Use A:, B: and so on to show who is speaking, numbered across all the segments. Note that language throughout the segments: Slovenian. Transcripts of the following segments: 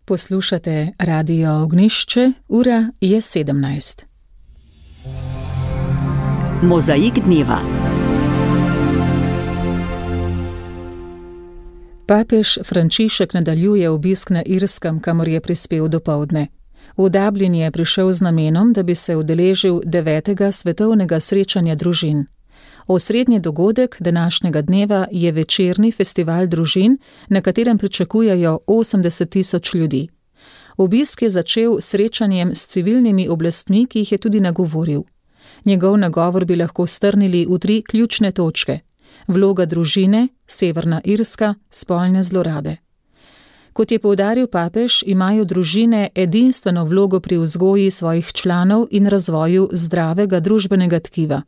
A: Poslušate Radio Ognjišče, ura je 17.
B: Mozaik dneva.
A: Papež Frančišek nadaljuje obisk na Irskem, kamor je prispel dopoldne. V Dublin je prišel z namenom, da bi se udeležil 9. svetovnega srečanja družin. Osrednji dogodek današnjega dneva je večerni festival družin, na katerem pričakujejo 80.000 ljudi. Obisk je začel srečanjem s civilnimi oblastmi, ki jih je tudi nagovoril. Njegov nagovor bi lahko strnili v 3 ključne točke: vloga družine, Severna Irska, spolne zlorabe. Kot je poudaril papež, imajo družine edinstveno vlogo pri vzgoji svojih članov in razvoju zdravega družbenega tkiva.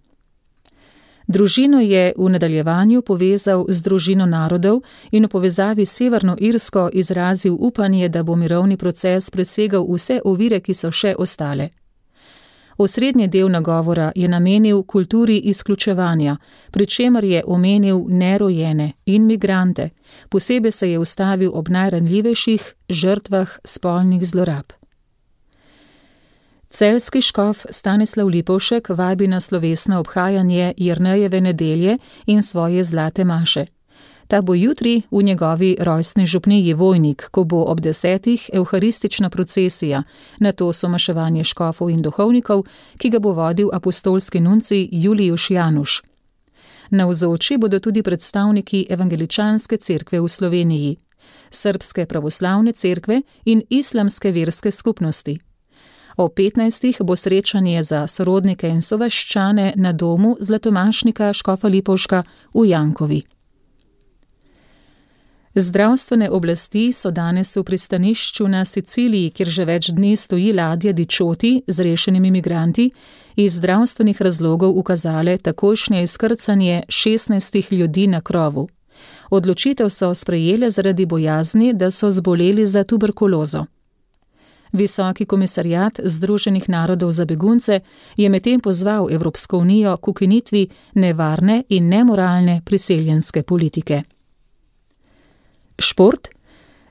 A: Družino je v nadaljevanju povezal z družino narodov in v povezavi s Severno Irsko izrazil upanje, da bo mirovni proces presegal vse ovire, ki so še ostale. Osrednji del nagovora je namenil kulturi izključevanja, pri čemer je omenil nerojene in migrante, posebej se je ustavil ob najranljivejših žrtvah spolnih zlorab. Celjski škof Stanislav Lipovšek vabi na slovesno obhajanje Jernejeve nedelje in svoje zlate maše. Ta bo jutri v njegovi rojstni župniji Vojnik, ko bo ob 10. evharistična procesija, nato somaševanje škofov in duhovnikov, ki ga bo vodil apostolski nuncij Julijuš Januš. Navzoči bodo tudi predstavniki Evangeličanske cerkve v Sloveniji, Srbske pravoslavne cerkve in Islamske verske skupnosti. O 15. bo srečanje za sorodnike in sovaščane na domu zlatomašnika škofa Lipovška v Jankovi. Zdravstvene oblasti so danes v pristanišču na Siciliji, kjer že več dni stoji ladja Dičoti z rešenimi migranti, iz zdravstvenih razlogov ukazale takojšnje izkrcanje 16 ljudi na krovu. Odločitev so sprejele zaradi bojazni, da so zboleli za tuberkulozo. Visoki komisarjat Združenih narodov za begunce je medtem pozval Evropsko unijo k ukinitvi nevarne in nemoralne priseljenske politike. Šport.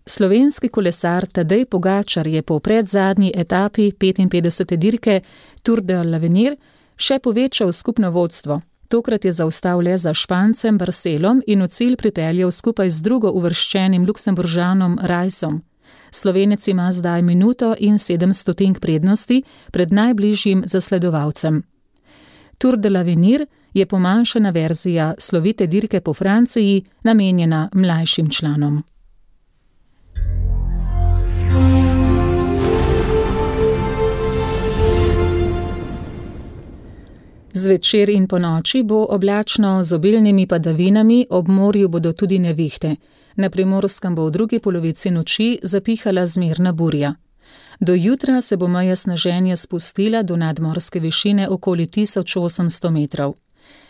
A: Slovenski kolesar Tadej Pogačar je po predzadnji etapi 55. dirke Tour de l'Avenir še povečal skupno vodstvo. Tokrat je zaostal le za Špancem Barcelom in v cilj pripeljal skupaj z drugo uvrščenim Luksemburžanom Rajsom. Slovenec ima zdaj minuto in 7 stotink prednosti pred najbližjim zasledovalcem. Tour de l'Avenir je pomanjšana verzija slovite dirke po Franciji, namenjena mlajšim članom. Zvečer in ponoči bo oblačno z obilnimi padavinami, ob morju bodo tudi nevihte. Na Primorskem bo v drugi polovici noči zapihala zmerna burja. Do jutra se bo meja sneženja spustila do nadmorske višine okoli 1800 metrov.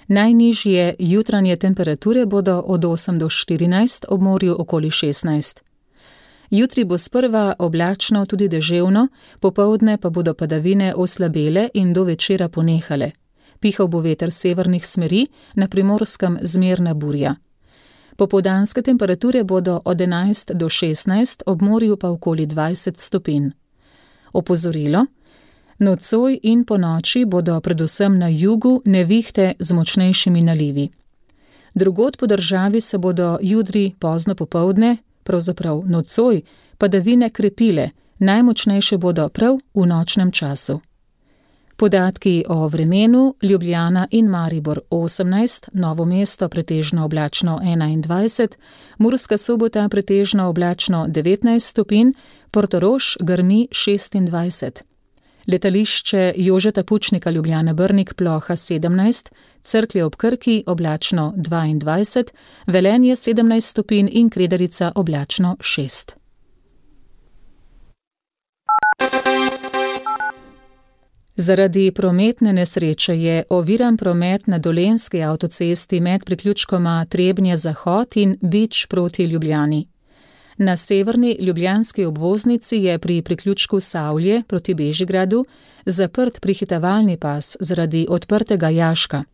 A: Najnižje jutranje temperature bodo od 8 do 14, ob morju okoli 16. Jutri bo sprva oblačno, tudi deževno, popoldne pa bodo padavine oslabele in do večera ponehale. Pihal bo veter severnih smeri, na Primorskem zmerna burja. Popoldanske temperature bodo od 11 do 16, ob morju pa okoli 20 stopinj. Opozorilo: nocoj in ponoči bodo predvsem na jugu nevihte z močnejšimi nalivi. Drugod po državi se bodo jutri pozno popoldne, pravzaprav nocoj, padavine krepile, najmočnejše bodo prav v nočnem času. Podatki o vremenu: Ljubljana in Maribor 18, Novo mesto pretežno oblačno 21, Murska Sobota pretežno oblačno 19 stopinj, Portorož grmi 26. Letališče Jožeta Pučnika Ljubljana Brnik ploha 17, Cerklje ob Krki oblačno 22, Velenje 17 stopinj in Kredarica oblačno 6. Zaradi prometne nesreče je oviran promet na Dolenjski avtocesti med priključkoma Trebnje-Zahod in Bič proti Ljubljani. Na severni ljubljanski obvoznici je pri priključku Savlje proti Bežigradu zaprt prehitevalni pas zaradi odprtega jaška.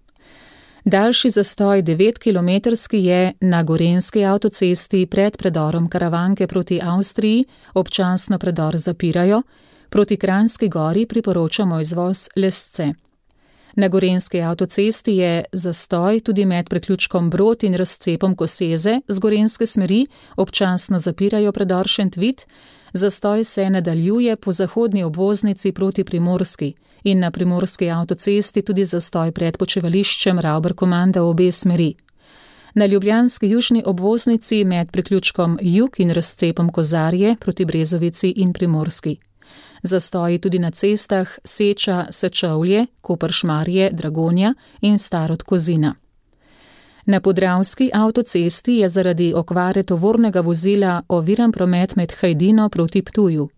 A: Daljši zastoj 9-kilometrski je na gorenjski avtocesti pred predorom Karavanke proti Avstriji, občasno predor zapirajo, proti Kranjski Gori priporočamo izvoz Lesce. Na gorenjski avtocesti je zastoj tudi med priključkom Brod in razcepom Koseze z gorenjske smeri, občasno zapirajo predor Šentvid, zastoj se nadaljuje po zahodni obvoznici proti Primorski in na primorski avtocesti tudi zastoj pred počivališčem Ravber-Komanda v obe smeri. Na ljubljanski južni obvoznici med priključkom Jug in razcepom Kozarje proti Brezovici in Primorski. Zastoji tudi na cestah Seča, Sečovlje, Koper-Šmarje, Dragonja in Starod Kozina. Na podravski avtocesti je zaradi okvare tovornega vozila oviran promet med Hajdino proti Ptuju.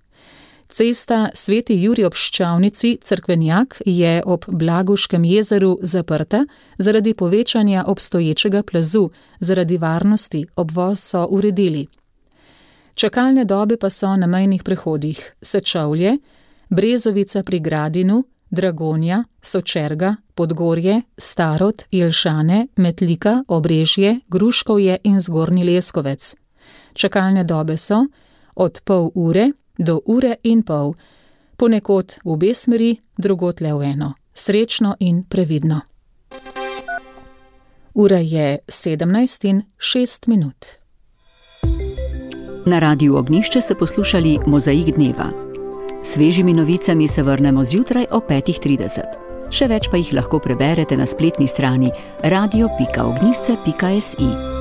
A: Cesta Sveti Jurij ob Ščavnici Cerkvenjak je ob Blaguškem jezeru zaprta zaradi povečanja obstoječega plazu, zaradi varnosti obvoz so uredili. Čakalne dobe pa so na mejnih prehodih Sečovlje, Brezovica pri Gradinu, Dragonja, Sočerga, Podgorje, Starod, Jelšane, Metlika, Obrežje, Gruškovje in Zgornji Leskovec. Čakalne dobe so od pol ure do ure in pol, ponekod v obe smeri, drugod le v eno. Srečno in previdno. Ura je 17:06.
B: Na Radiu Ognjišče ste poslušali Mozaik dneva. Svežimi novicami se vrnemo zjutraj ob 5:30. Še več pa jih lahko preberete na spletni strani radio.ognjišče.si.